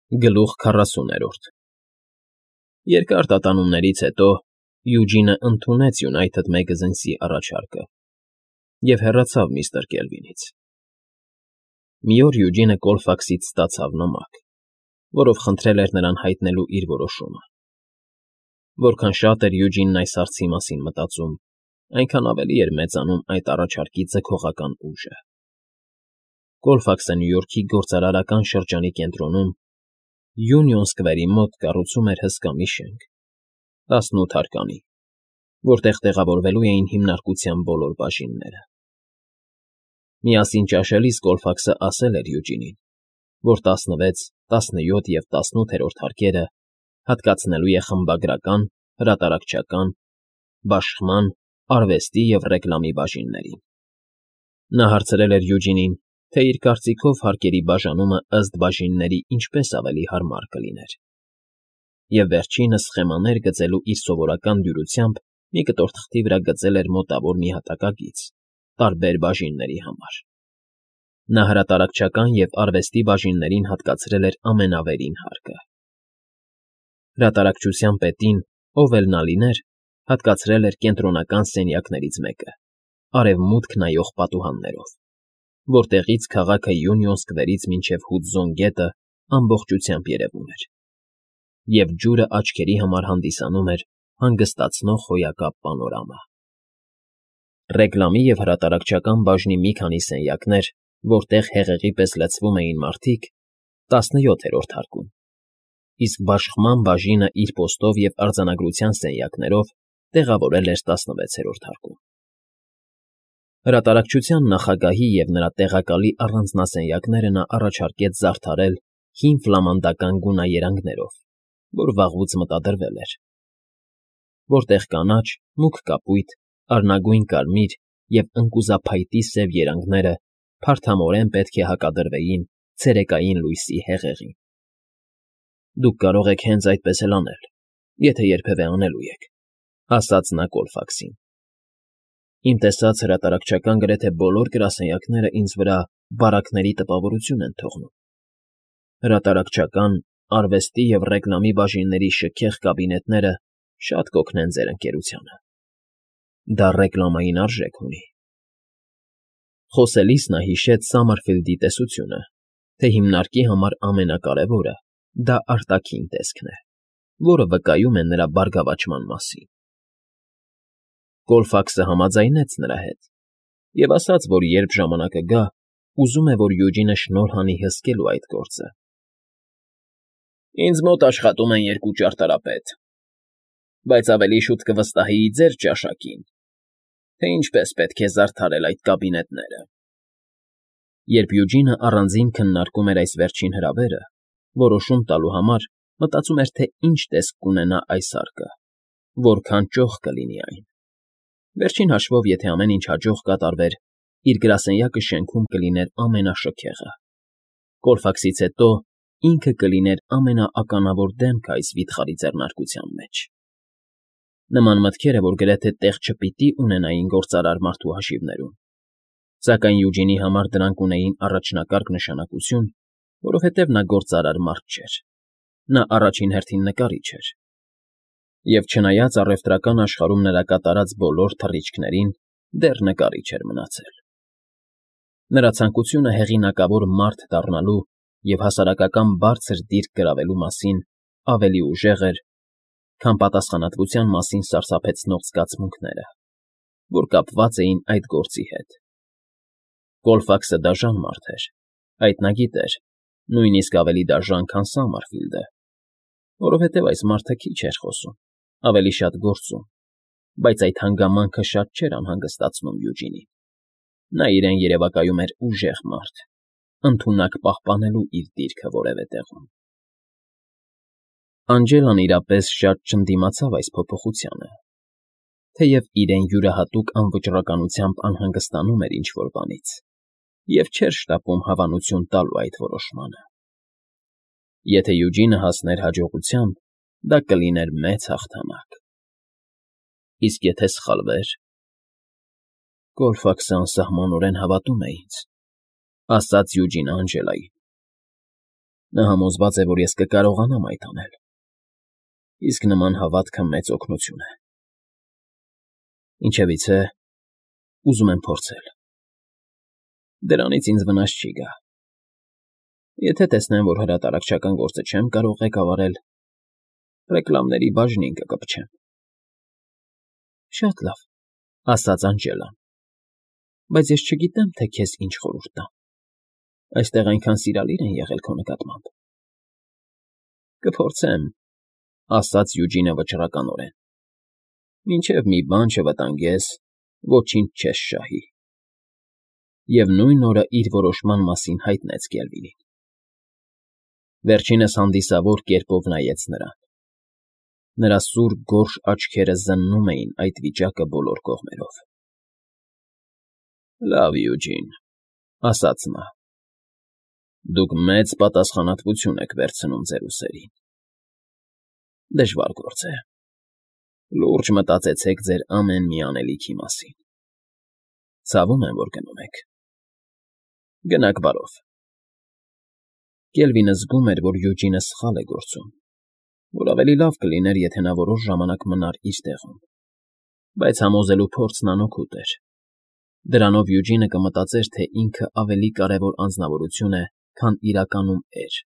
Գլուխ 40 Երկար տատանումներից հետո Յուջինը ընդունեց Յունայթդ Մեգազինսի առաջարկը և հեռացավ միստր Կելվինից։ Մի օր Յուջինը Կոլֆաքսից ստացավ նամակ, որով խնդրել էր նրան հայտնելու իր որոշումը։ Որքան շատ էր Յուջինն այս հարցի մասին մտածում, այնքան ավելի էր մեծանում այդ առաջարկի ձգողական ուժը։ Կոլֆաքսը Նյու Յորքի գործարարական շրջանի կենտրոնում Յունիոն Սքվերի մոտ կառուցում էր հսկա մի շենք, 18 հարկանի, որտեղ տեղավորվելու էին հիմնարկության բոլոր բաժինները։ Միասին ճաշելիս Կոլֆաքսը ասել էր Յուջինին, որ 16, 17 և 18-րդ հարկերը հատկացնելու է խմբագրական, հրատարակչական, բաշխման, արվեստի և ռեկլամի բաժիններին։ Նա հարցրել էր Յուջինին, թե իր կարծիքով հարկերի բաժանումը ըստ բաժինների ինչպես ավելի հարմար կլիներ, և վերջինս սխեմաներ գծելու իր սովորական դյուրությամբ մի կտոր թղթի վրա գծել էր մոտավոր մի հատակագիծ տարբեր բաժինների համար։ Նա հրատարակչական և արվեստի բաժիններին հատկացրել էր ամենավերին հարկը։ Հրատարակչության պետին, ով էլ նա լիներ, հատկացրել էր կենտրոնական սենյակներից մեկը, արևմուտք նայող պատուհաններով, որտեղից քաղաքը Յունիոն Սքվերից մինչև Հուդզոն գետը ամբողջությամբ երևում էր, և ջուրը աչքերի համար հանդիսանում էր հանգստացնող հոյակապ պանորամա։ Ռեկլամի և հրատարակչական բաժնի մի քանի սենյակներ, որտեղ հեղեղի պես լցվում էին մարդիկ, 17-րդ հարկում, իսկ բաշխման բաժինը իր պոստով և արձանագրության սենյակներով տեղավորել էր 16-րդ հարկում։ Հրատարակչության նախագահի և նրա տեղակալի առանձնասենյակները նա առաջարկեց զարդարել հին ֆլամանդական գունաերանգներով, որ վաղուց մտադրվել էր, որտեղ կանաչ, մուգ կապույտ, արնագույն կարմիր և ընկուզափայտի սև երանգները փարթամորեն պետք է հակադրվեին ցերեկային լույսի հեղեղին։ Դուք կարող եք հենց այդպես էլ անել, եթե երբևէ անելու եք, ասաց նա Կոլֆաքսին։ Իմ տեսած հրատարակչական գրեթե բոլոր գրասենյակները ինձ վրա բարակների տպավորություն են թողնում։ Հրատարակչական, արվեստի և ռեկլամի բաժինների շքեղ կաբինետները շատ կօգնեն ձեր ընկերությանը։ Դա ռեկլամային արժեք ունի։ Խոսելիս նա հիշեց Սամարֆիլդի տեսությունը, թե հիմնարկի համար ամենակարևորը դա արտաքին տեսքն է, որը վկայում է նրա բարգավաճման մասին։ Կոլֆաքսը համաձայնեց նրա հետ և ասաց, որ երբ ժամանակը գա, ուզում է, որ Յուջինը շնորհ անի հսկելու այդ գործը։ Ինձ մոտ աշխատում են 2 ճարտարապետ, բայց ավելի շուտ կվստահեի ձեր ճաշակին, թե ինչպես պետք է զարդարել այդ կաբինետները։ Երբ Յուջինը առանձին քննարկում էր այս վերջին հրավերը, որոշում տալու համար, մտածում էր, թե ինչ տեսք կունենա այս հարկը, որքան ճոխ կլինի այն։ Վերջին հաշվով, եթե ամեն ինչ հաջող կատարվեր, իր գրասենյակը շենքում կլիներ ամենաշքեղը։ Կոլֆաքսից հետո ինքը կլիներ ամենաականավոր դեմքը այս վիթխարի ձեռնարկության մեջ։ Նման մտքերը, որ գրեթե տեղ չպիտի ունենային գործարար մարդու հաշիվներում, սակայն Յուջինի համար դրանք ունեին առաջնակարգ նշանակություն, որովհետև նա գործարար մարդ չէր, նա առաջին հերթին նկարիչ էր, և չնայած առևտրական աշխարհում նրա կատարած բոլոր թռիչքներին, դեռ նկարիչ էր մնացել։ Նրա ցանկությունը հեղինակավոր մարդ դառնալու և հասարակական բարձր դիրք գրավելու մասին ավելի ուժեղ էր, քան պատասխանատվության մասին սարսափեցնող զգացմունքները, որ կապված էին այդ գործի հետ։ Կոլֆաքսը դաժան մարդ էր, այդ նա գիտեր, նույնիսկ ավելի դաժան, քան Սամարֆիլդը, որովհետև այս մարդը քիչ էր խոսում, ավելի շատ գործում, բայց այդ հանգամանքը շատ չէր անհանգստացնում Յուջինին։ Նա իրեն երևակայում էր ուժեղ մարդ, ընդունակ պահպանելու իր դիրքը որևէ տեղում։ Անջելան իրապես շատ չընդդիմացավ այս փոփոխությանը, թեև իրեն յուրահատուկ անվճռականությամբ անհանգստանում էր ինչ֊որ բանից և չէր շտապում հավանություն տալու այդ որոշմանը։ Եթե Յուջինը հասներ հաջողության, դա կլիներ մեծ հաղթանակ։ Իսկ եթե սխալվեր… Կոլֆաքսը անսահմանորեն հավատում է ինձ, ասաց Յուջինը Անջելային։ Նա համոզված է, որ ես կկարողանամ այդ անել, իսկ նման հավատքը մեծ օգնություն է։ Ինչևիցե, ուզում եմ փորձել։ Դրանից ինձ վնաս չի գա։ Եթե տեսնեմ, որ հրատարակչական գործը չեմ կարող ղեկավարել, ռեկլամների բաժնին կկպչեմ։ Շատ լավ, ասաց Անջելան, բայց ես չգիտեմ, թե քեզ ինչ խորհուրդ տամ։ Այստեղ այնքան սիրալիր են եղել քո նկատմամբ։ Կփորձեմ, ասաց Յուջինը վճռականորեն։ Մինչև մի բան չվտանգես, ոչինչ չես շահի։ Եվ նույն օրը իր որոշման մասին հայտնեց Կելվինին։ Վերջինս հանդիսավոր կերպով նայեց նրան։ Նրա սուր գորշ աչքերը զննում էին այդ վիճակը բոլոր կողմերով։ Լավ, Յուջին, ասաց նա։ Դուք մեծ պատասխանատվություն եք վերցնում ձեր ուսերին։ Դժվար գործ է։ Լուրջ մտածեցեք ձեր ամեն մի անելիքի մասին։ Ցավում եմ, որ գնում եք։ Գնաք բարով։ Կելվինը զգում էր, որ Յուջինը սխալ է գործում, որ ավելի լավ կլիներ, եթե նա որոշ ժամանակ մնար իր տեղում, բայց համոզելու փորձն անօգուտ էր։ Դրանով Յուջինը կմտածեր, թե ինքը ավելի կարևոր անձնավորություն է, քան իրականում էր,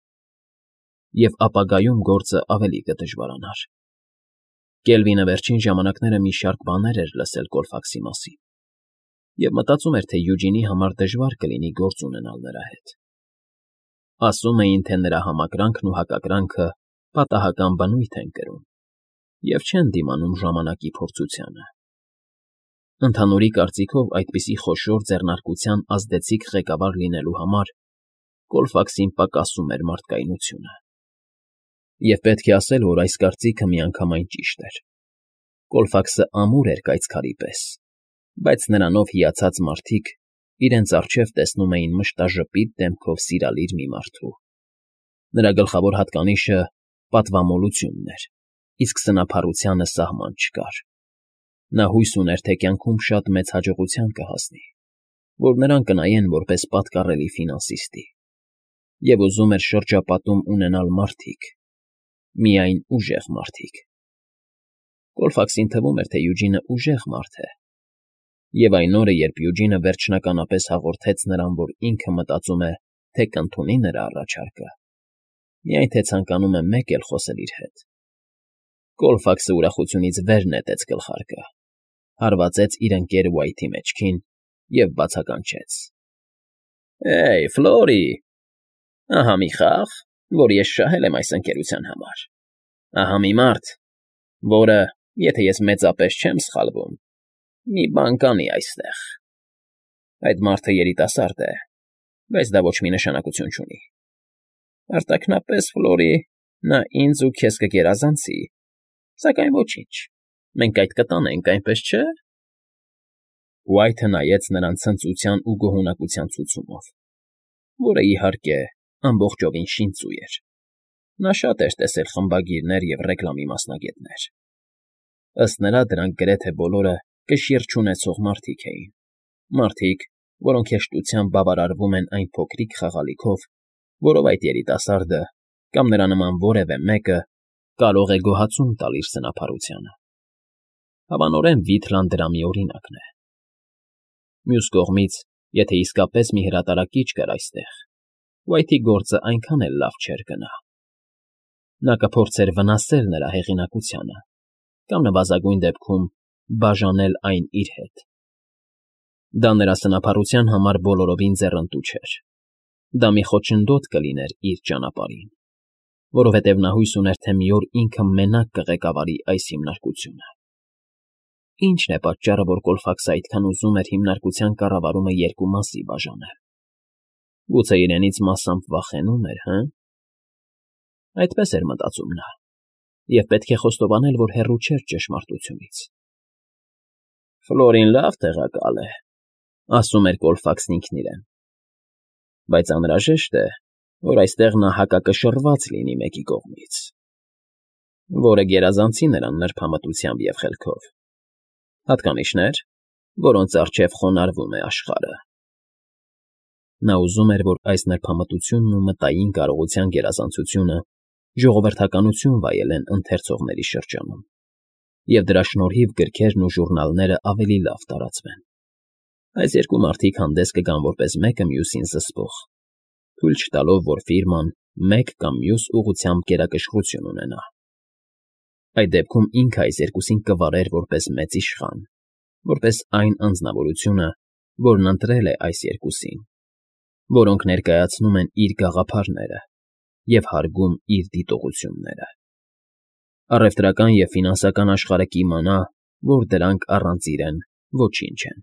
և ապագայում գործը ավելի կդժվարանար։ Կելվինը վերջին ժամանակները մի շարք բաներ էր լսել Կոլֆաքսի մասին, և մտածում էր, թե Յուջինի համար դժվար կլինի գործ ունենալ նրա հետ։ Ասում էին, թե նրա համակրանքն ու հակակրանքը պատահական բնույթ են կրում և չեն դիմանում ժամանակի փորձությանը։ Ընդհանուրի կարծիքով այդպիսի խոշոր ձեռնարկության ազդեցիկ ղեկավար լինելու համար Կոլֆաքսին պակասում էր մարդկայնությունը։ Եվ պետք է ասել, որ այս կարծիքը միանգամայն ճիշտ էր։ Կոլֆաքսը ամուր էր կայծքարի պես, բայց նրանով հիացած մարդիկ իրենց առջև տեսնում էին մշտաժպիտ դեմքով սիրալիր մի մարդու։ Նրա գլխավոր հատկանիշը պատվամոլությունն էր, իսկ սնափառությանը սահման չկար։ Նա հույս ուներ, թե կյանքում շատ մեծ հաջողության կհասնի, որ նրան կնայեն որպես պատկառելի ֆինանսիստի, և ուզում էր շրջապատում ունենալ մարդիկ, միայն ուժեղ մարդիկ։ Կոլֆաքսին թվում էր, թե Յուջինը ուժեղ մարդ է, և այն օրը, երբ Յուջինը վերջնականապես հաղորդեց նրան, որ ինքը մտածում է, թե կընդունի նրա առաջարկը, միայն թե ցանկանում է մեկ էլ խոսել իր հետ, Կոլֆաքսը ուրախությունից վեր նետեց գլխարկը, հարվածեց իր ընկեր Ուայթի մեջքին և բացականչեց. Էյ, Ֆլորի, ահա մի խաղ, որ ես շահել եմ այս ընկերության համար, ահա մի մարդ, որը, եթե ես մեծապես չեմ սխալվում, մի բան կանի այստեղ։ Այդ մարդը երիտասարդ է, բայց դա ոչ մի նշանակություն չունի։ Արտաքնապես, Ֆլորի, նա ինձ ու քեզ կգերազանցի, սակայն ոչինչ, մենք այդ կտանենք, այնպես չէ՞։ Ուայթը նայեց նրան ցնծության ու գոհունակության ցուցումով, որը, իհարկե, ամբողջովին շինծու էր։ Նա շատ էր տեսել խմբագիրներ և ռեկլամի մասնագետներ։ Ըստ նրա, դրանք գրեթե բոլորը կշիռ չունեցող մարդիկ էին, մարդիկ, որոնք հեշտությամբ բավարարվում են այն փոքրիկ խաղալիքով, որով այդ երիտասարդը կամ նրա նման որևէ մեկը կարող է գոհացում տալ իր սնափառությանը։ Հավանորեն Վիթլան դրա մի օրինակն է։ Մյուս կողմից, եթե իսկապես մի հրատարակիչ կար այստեղ, Ուայթի գործը այնքան էլ լավ չէր գնա։ Նա կփորձեր վնասել նրա հեղինակությանը կամ նվազագույն դեպքում բաժանել այն իր հետ։ Դա նրա սնափառության համար բոլորովին ձեռնտու չէր։ Դա մի խոչընդոտ կլիներ իր ճանապարհին, որովհետև նա հույս ուներ, թե մի օր ինքը մենակ կղեկավարի այս հիմնարկությունը։ Ի՞նչն է պատճառը, որ Կոլֆաքսը այդքան ուզում էր հիմնարկության կառավարումը երկու մասի բաժանել։ Գուցե իրենից մասամբ վախենում էր, հը՞։ Այդպես էր մտածում նա, և պետք է խոստովանել, որ հեռու չէր ճշմարտությունից։ Ֆլորին լավ տեղակալ է, ասում էր Կոլֆաքսն ինքն իրեն, բայց անհրաժեշտ է, որ այստեղ նա հակակշռված լինի մեկի կողմից, որը գերազանցի նրան նրբամտությամբ և խելքով, հատկանիշներ, որոնց առջև խոնարհվում է աշխարհը։ Նա ուզում էր, որ այս նրբամտությունն ու մտային կարողության գերազանցությունը ժողովրդականություն վայելեն ընթերցողների շրջանում, և դրա շնորհիվ գրքերն ու ժուրնալները ավելի լավ տարածվեն։ Այս երկու մարդիկ հանդես կգան որպես մեկը մյուսին զսպող, թույլ չտալով, որ ֆիրման մեկ կամ մյուս ուղղությամբ գերակշռություն ունենա։ Այդ դեպքում ինքը այս երկուսին կվարեր որպես մեծ իշխան, որպես այն անձնավորությունը, որն ընտրել է այս երկուսին, որոնք ներկայացնում են իր գաղափարները և հարգում իր դիտողությունները։ Առևտրական և ֆինանսական աշխարհը կիմանա, որ դրանք առանց իրեն ոչինչ են։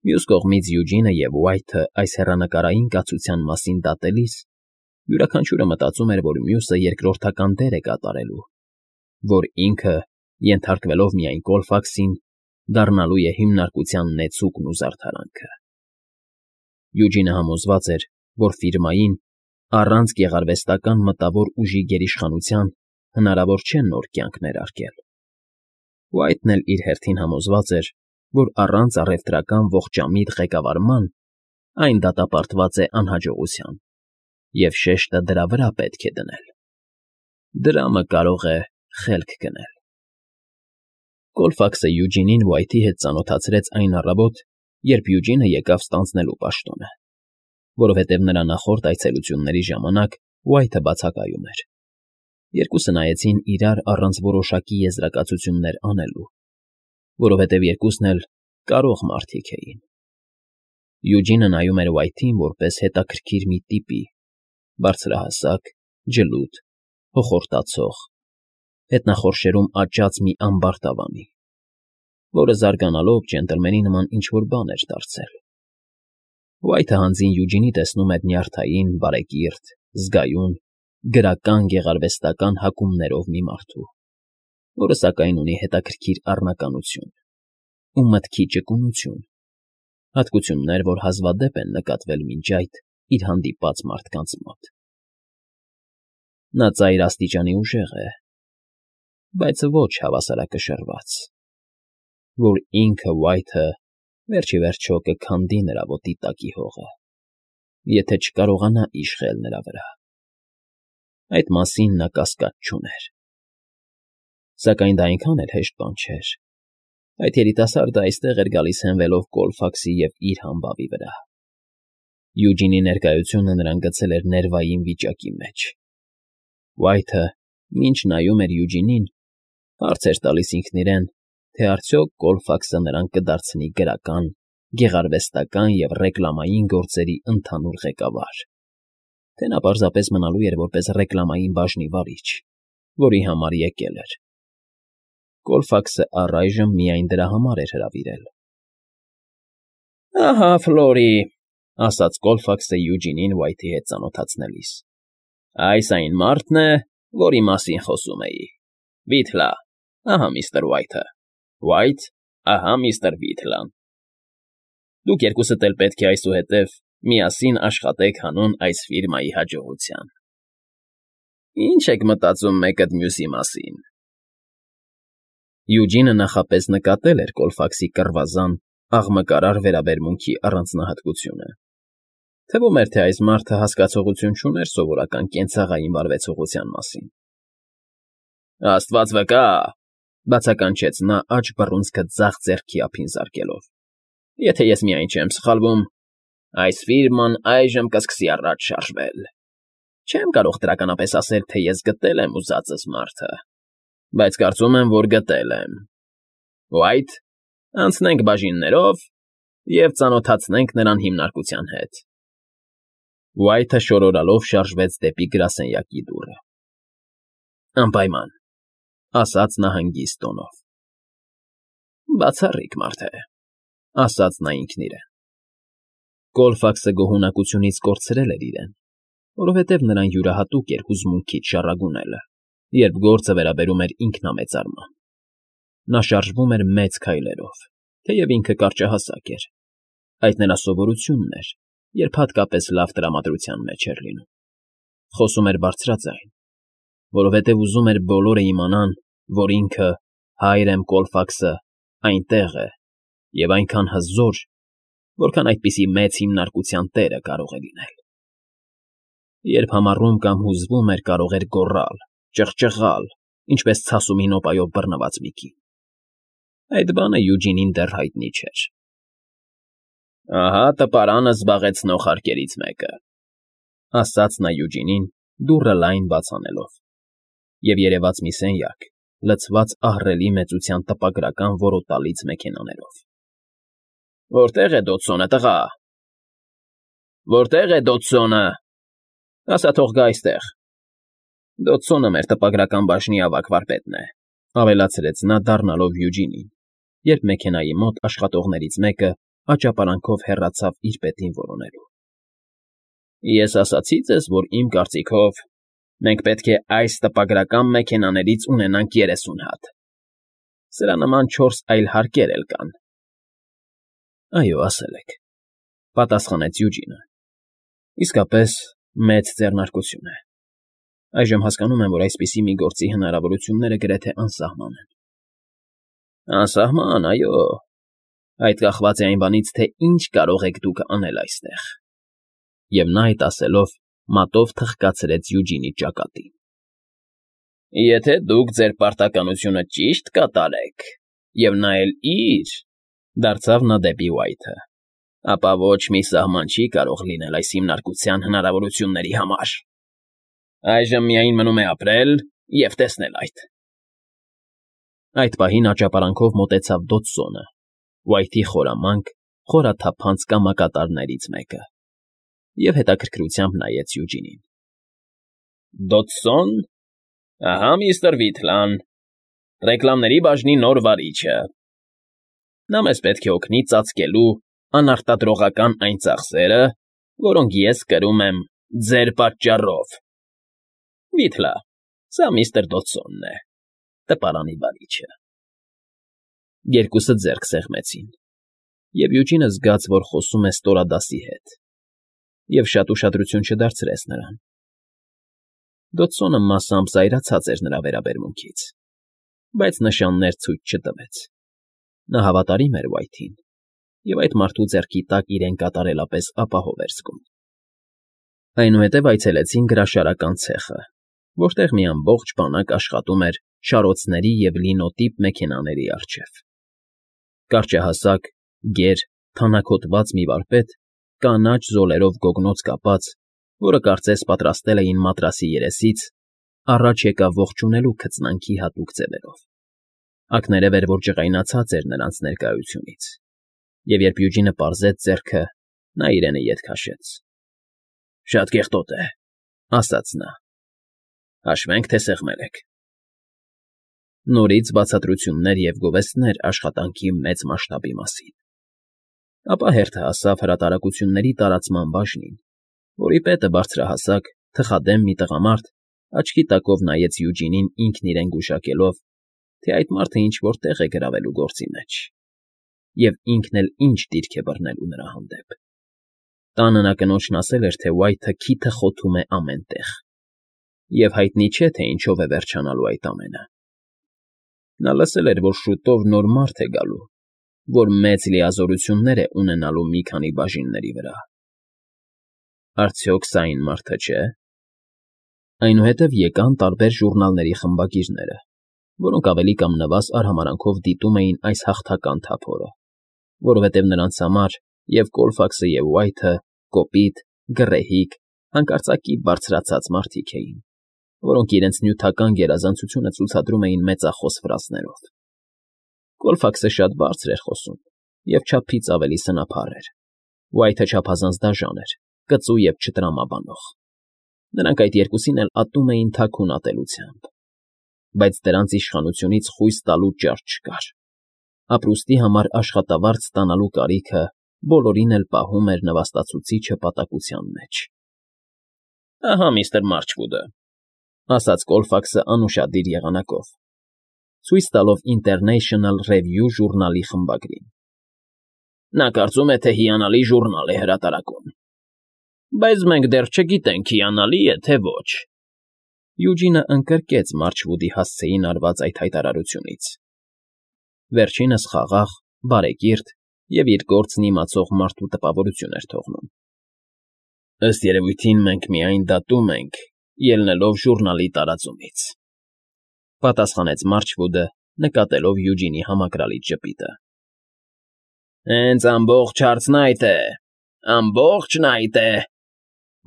Մյուս կողմից Յուջինը և Ուայթը այս հեռանկարային կացության մասին դատելիս յուրաքանչյուրը մտածում էր, որ մյուսը երկրորդական դեր է կատարելու, որ ինքը, ենթարկվելով միայն Կոլֆաքսին, դառնալու է հիմնարկության նեցուկն ու զարդարանքը։ Յուջինը համոզված էր, որ ֆիրմային, առանց գեղարվեստական մտավոր ուժի գերիշխանության հնարավոր չէ նոր կյանք ներարկել։ Ուայթն էլ իր հերթին համոզված էր, որ առանց առևտրական ողջամիտ ղեկավարման այն դատապարտված է անհաջողության, և շեշտը դրա վրա պետք է դնել։ Դրամը կարող է խելք գնել։ Կոլֆաքսը Յուջինին Ուայթի հետ ծանոթացրեց այն առավոտ, երբ Յուջինը եկավ ստանձնելու պաշտոնը, որովհետև նրա նախորդ այցելությունների ժամանակ Ուայթը բացակայում էր։ Երկուսը նայեցին իրար առանց որոշակի եզրակացություններ անելու, որովհետև երկուսն էլ կարող մարդիկ էին։ Յուջինը նայում էր Ուայթին որպես հետաքրքիր մի տիպի, բարձրահասակ, ջլութ, հոխորտացող, հետնախորշերում աճած մի ամբարտավանի, որը զարգանալով ջենտլմենի նման ինչ֊որ բան էր դարձել։ Ուայթը հանձին Յուջինի տեսնում էր նյարդային, բարեկիրթ, զգայուն, գրական գեղարվեստական հակումներով մի մարդու, որը սակայն ունի հետաքրքիր առնականություն ու մտքի ճկունություն, հատկություններ, որ հազվադեպ են նկատվել մինչ այդ իր հանդիպած մարդկանց մոտ։ Նա ծայր աստիճանի ուժեղ է, բայց ոչ հավասարակշռված, որ ինքը Ուայթը վերջ ի վերջո կքանդի նրա ոտի տակի հողը, եթե չկարողանա իշխել նրա վրա։ Այդ մասին նա կասկած չուներ։ Սակայն դա այնքան էլ հեշտ բան չէր։ Այդ երիտասարդը այստեղ էր գալիս հենվելով Կոլֆաքսի և իր համբավի վրա։ Յուջինի ներկայությունը նրան գցել էր ներվային վիճակի մեջ։ Ուայթը, մինչ նայում էր Յուջինին, հարց էր տալիս ինքն իրեն, թե արդյոք Կոլֆաքսը նրան կդարձնի գրական, գեղարվեստական և ռեկլամային գործերի ընդհանուր ղեկավար, թե նա պարզապես մնալու էր որպես ռեկլամային բաժնի վարիչ, որի համար եկել էր։ Կոլֆաքսը առայժմ միայն դրա համար էր հրավիրել։ «Ահա Ֆլորի», ֊ ասաց Կոլֆաքսը Յուջինին Ուայթի հետ ծանոթացնելիս։ «Այս այն մարդն է, որի մասին խոսում էի։ Վիթլա, ահա միստր Ուայթը, Ուայթ, ահա միստր Վիթլան։ Դուք երկուսդ էլ պետք է այսուհետև միասին աշխատեք հանուն այս ֆիրմայի հաջողության։ Ինչ եք մտածում մեկըդ մյուսի մասին»։ Յուջինը նախապես նկատել էր Կոլֆաքսի կռվազան, աղմկարար վերաբերմունքի առանձնահատկությունը։ Թվում էր, թե այս մարդը հասկացողություն չուներ սովորական կենցաղային վարվեցողության մասին։ «Աստված վկա», ֊ բացականչեց նա աջ բռունցքը ձախ ձեռքի ափին զարկելով, «եթե ես միայն չեմ սխալվում, այս ֆիրման այժմ կսկսի առաջ շարժվել։ Չեմ կարող դրականապես ասել, թե ես գտել եմ ուզածս մարդը, բայց կարծում եմ, որ գտել եմ։ Ուայթ, անցնենք բաժիններով և ծանոթացնենք նրան հիմնարկության հետ»։ Ուայթը շորորալով շարժվեց դեպի գրասենյակի դուռը։ «Անպայման», ֊ ասաց նա հանգիստ տոնով։ «Բացառիկ մարդ է», ֊ ասաց նա ինքն իրեն։ Կոլֆաքսը գոհունակությունից կորցրել էր իրեն, որովհետև նրան յուրահատուկ էր հուզմունքից շառագունելը, երբ գործը վերաբերում էր ինքնամեծարման։ Նա շարժվում էր մեծ քայլերով, թեև ինքը կարճահասակ էր։ Այդ նրա սովորությունն էր, երբ հատկապես լավ տրամադրության մեջ էր լինում։ Խոսում էր բարձրաձայն, որովհետև ուզում էր բոլորը իմանան, որ ինքը, Հայրեմ Կոլֆաքսը, այնտեղ է և այնքան հզոր, որքան այդպիսի մեծ հիմնարկության տերը կարող է լինել։ Երբ համառում կամ հուզվում էր, կարող էր գոռալ, ճղճղալ, ինչպես ցասումի նոպայով բռնված մի կին։ Այդ բանը Յուջինին դեռ հայտնի չէր։ «Ահա տպարանը զբաղեցնող հարկերից մեկը», ասաց նա Յուջինին, դուռը լայն բաց անելով, և երևաց մի սենյակ, լցված ահռելի մեծության տպագրական որոտալից մեքենաներով։ «Որտե՞ղ է Դոդսոնը, տղա, որտե՞ղ է Դոդսոնը, ասա թող գա այստեղ»։ Դոդսոնը մեր տպագրական բաժնի ավագ վարպետն է, ավելացրեց նա, դառնալով Յուջինին, երբ մեքենայի մոտ աշխատողներից մեկը աճապարանքով հեռացավ իր պետին որոնելու։ Ես ասացի ձեզ, որ իմ կարծիքով մենք պետք է այս տպագրական մեքենաներից ունենանք 30 հատ։ Սրա նման 4 այլ հարկեր էլ կան։ Այո, ասել եք, պատասխանեց Յուջինը։ Իսկապես մեծ ձեռնարկություն է։ Այժմ հասկանում եմ, որ այսպիսի մի գործի հնարավորությունները գրեթե անսահման են։ Անսահման, այո։ Այդ կախված է այն բանից, թե ինչ կարող եք դուք անել այստեղ։ Եվ նա այդ ասելով մատով թխկացրեց Յուջինի ճակատին։ Եթե դուք ձեր պարտականությունը ճիշտ կատարեք, և նա էլ իր, դարձավ նա դեպի Ուայթը, ապա ոչ մի սահման չի կարող լինել այս հիմնարկության հնարավորությունների համար։ Այժմ միայն մնում է ապրել և տեսնել այդ։ Այդ պահին աճապարանքով մոտեցավ Դոդսոնը, Ուայթի խորամանկ, խորաթափանց կամակատարներից մեկը, և հետաքրքրությամբ նայեց Յուջինին։ Դոդսոն, ահա միստր Վիթլան, ռեկլամների բաժնի նոր վարիչը։ Նա մեզ պետք է օգնի ծածկելու անարտադրողական այն ծախսերը, որոնք ես կրում եմ ձեր պատճառով։ Վիթլա, սա միստր Դոդսոնն է, տպարանի վարիչը։ Երկուսը ձեռք սեղմեցին, և Յուջինը զգաց, որ խոսում է ստորադասի հետ, և շատ ուշադրություն չդարձրեց նրան։ Դոդսոնը մասամբ զայրացած էր նրա վերաբերմունքից, բայց նշաններ ցույց չտվեց։ Նա հավատարիմ էր Ուայթին, և այդ մարդու ձեռքի տակ իրեն կատարելապես ապահով էր զգում։ Այնուհետև այցելեցին գրաշարական ցեխը, որտեղ մի ամբողջ բանակ աշխատում էր շարոցների և լինոտիպ մեքենաների առջև։ Կարճահասակ, գեր, թանաքոտված մի վարպետ, կանաչ զոլերով գոգնոց կապած, որը կարծես պատրաստել էին մատրասի երեսից, առաջ եկավ ողջունելու քծնանքի հատուկ ձևերով։ Ակներև էր, որ ջղայնացած էր նրանց ներկայությունից, և երբ Յուջինը պարզեց ձեռքը, նա իրենը ետ քաշեց։ Շատ կեղտոտ է, ասաց նա։ Հաշվենք, թե սեղմել եք։ Նորից բացատրություններ և գովեստներ աշխատանքի մեծ մասշտաբի մասին։ Ապա հերթը հասավ հրատարակությունների տարածման բաժնին, որի պետը բարձրահասակ, թխադեմ մի տղամարդ աչքի տակով նայեց Յուջինին ինքն իրեն գուշակելով, թե այդ մարդը ինչ-որ տեղ է գրավելու գործի մեջ, և ինքն էլ ինչ դիրք է բռնելու նրա հանդեպ։ Տանը նա կնոջն ասել էր, թե Ուայթը քիթը խոթում է ամեն տեղ, և հայտնի չէ, թե ինչով է վերջանալու այդ ամենը։ Նա լսել էր, որ շուտով նոր մարդ է գալու, որ մեծ լիազորություններ է ունենալու մի քանի բաժինների վրա։ Արդյոք սա այն մարդը չէ։ Այնուհետև եկան տարբեր ժուռնալների խմբագիրները, որոնք ավելի կամ նվազ արհամարանքով դիտում էին այս հաղթական թափորը, որովհետև նրանց համար և Կոլֆաքսը և Ուայթը կոպիտ, գռեհիկ, հանկարծակի բարձրացած մարդիկ էին, որոնք իրենց նյութական գերազանցությունը ցուցադրում էին մեծախոս ֆրազներով։ Կոլֆաքսը շատ բարձր էր խոսում և չափից ավելի սնափառ էր, Ուայթը չափազանց դաժան էր, կծու և չտրամաբանող։ Նրանք այդ երկուսին էլ ատում էին թաքուն ատելությամբ, բայց դրանց իշխանությունից խույս տալու ճար չկար։ Ապրուստի համար աշխատավարձ ստանալու կարիքը բոլորին էլ պահում էր նվաստացուցիչը պատակության մեջ։ Ահա միստր Մարչվուդը, ասաց Կոլֆաքսը անուշադիր եղանակով, ցույց տալով International Review ժուռնալի խմբագրին։ Նա կարծում է, թե հիանալի ժուռնալ է հրատարակում։ Բայց մենք դեռ չգիտենք հիանալի է, թե ոչ։ Յուջինը ընկրկեց Մարչվուդի հասցեին արված այդ հայտարարությունից։ Վերջինս խաղաղ, բարեկիրթ և իր գործն իմացող մարդու տպավորություն էր թողնում։ Ըստ երևույթին մենք միայն դատում ենք, ելնելով ժուռնալի տարածումից,֊ պատասխանեց Մարչվուդը, նկատելով Յուջինի համակրալից ժպիտը։ Հենց ամբողջ հարցն այդ է, ամբողջն այդ է,֊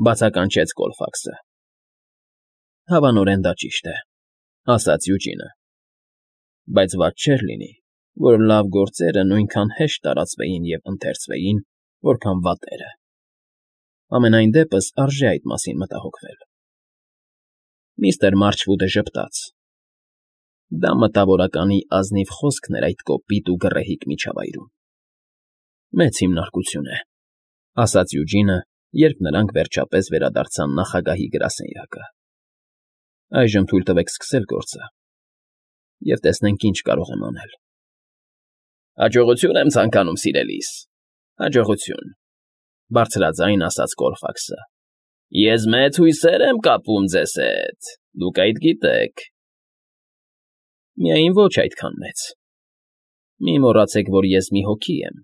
բացականչեց Կոլֆաքսը։ Հավանորեն դա ճիշտ է,֊ ասաց Յուջինը,֊ բայց վատ չէր լինի, որ լավ գործերը նույնքան հեշտ տարածվեին և ընթերցվեին, որքան վատերը։ Համենայն դեպս արժե այդ մասին մտահոգվել։ Միստր Մարչվուդը ժպտաց։ Դա մտավորականի ազնիվ խոսքն էր այդ կոպիտ ու գռեհիկ միջավայրում։ Մեծ հիմնարկություն է,֊ ասաց Յուջինը, երբ նրանք վերջապես վերադարձան նախագահի գրասենյակը։ Այժմ թույլ տվեք սկսել գործը, և տեսնենք ինչ կարող եմ անել։ Հաջողություն եմ ցանկանում, սիրելիս, հաջողություն,֊ բարձրաձայն ասաց Կոլֆաքսը։ Ես մեծ հույսեր եմ կապում ձեզ հետ, դուք այդ գիտեք։ Միայն ոչ այդքան մեծ։ Մի մոռացեք, որ ես մի հոգի եմ,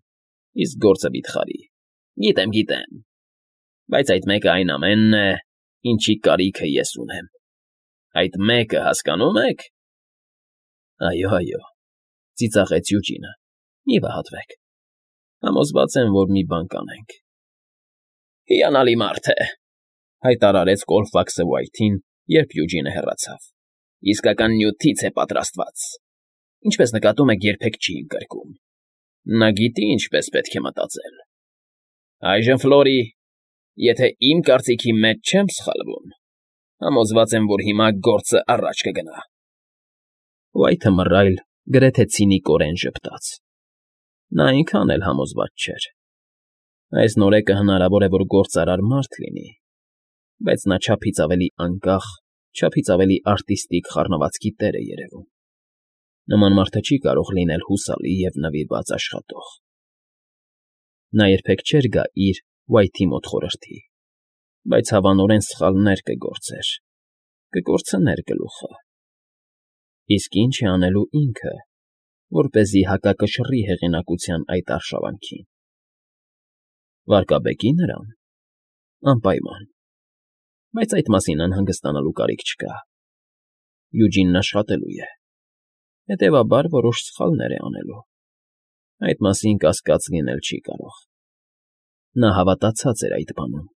իսկ գործը վիթխարի։ Գիտեմ, բայց այդ մեկը այն ամենն է, ինչի կարիքը ես ունեմ։ Այդ մեկը հասկանո՞ւմ եք։ Այո,֊ ծիծաղեց Յուջինը,֊ մի վհատվեք։ Համոզված եմ, որ մի բան կանենք։ Հիանալի մարդ է,֊ հայտարարեց Կոլֆաքսը Ուայթին, երբ Յուջինը հեռացավ։ Իսկական նյութից է պատրաստված։ Ինչպես նկատում եք, երբեք չի ընկրկում։ Նա գիտի ինչպես պետք է մտածել։ Այժմ, Ֆլորի, եթե իմ կարծիքի մեջ չեմ սխալվում, համոզված եմ, որ հիմա գործը առաջ կգնա։ Ուայթը մռայլ, գրեթե ցինիկորեն ժպտաց։ Նա այնքան էլ համոզված չէր։ Այս նորեկը հնարավոր է, որ գործարար մարդ լինի, բայց նա չափից ավելի անկախ, չափից ավելի արտիստիկ խառնվածքի տեր է երևում։ Նման մարդը չի կարող լինել հուսալի և նվիրված աշխատող։ Նա երբեք չէր գա իր Ուայթի մոտ խորհրդի, բայց հավանորեն սխալներ կգործեր, կկորցներ գլուխը։ Իսկ ինչ է անելու ինքը, որպեսզի հակակշռի հեղինակության այդ արշավանքին։ Վարկաբեկի՞ նրան։ Անպայման։ Բայց այդ մասին անհանգստանալու կարիք չկա։ Յուջինն աշխատելու է։ Հետևաբար որոշ սխալներ է անելու։ Այդ մասին կասկած լինել չի կարող։ Նա հավատացած էր այդ բանում։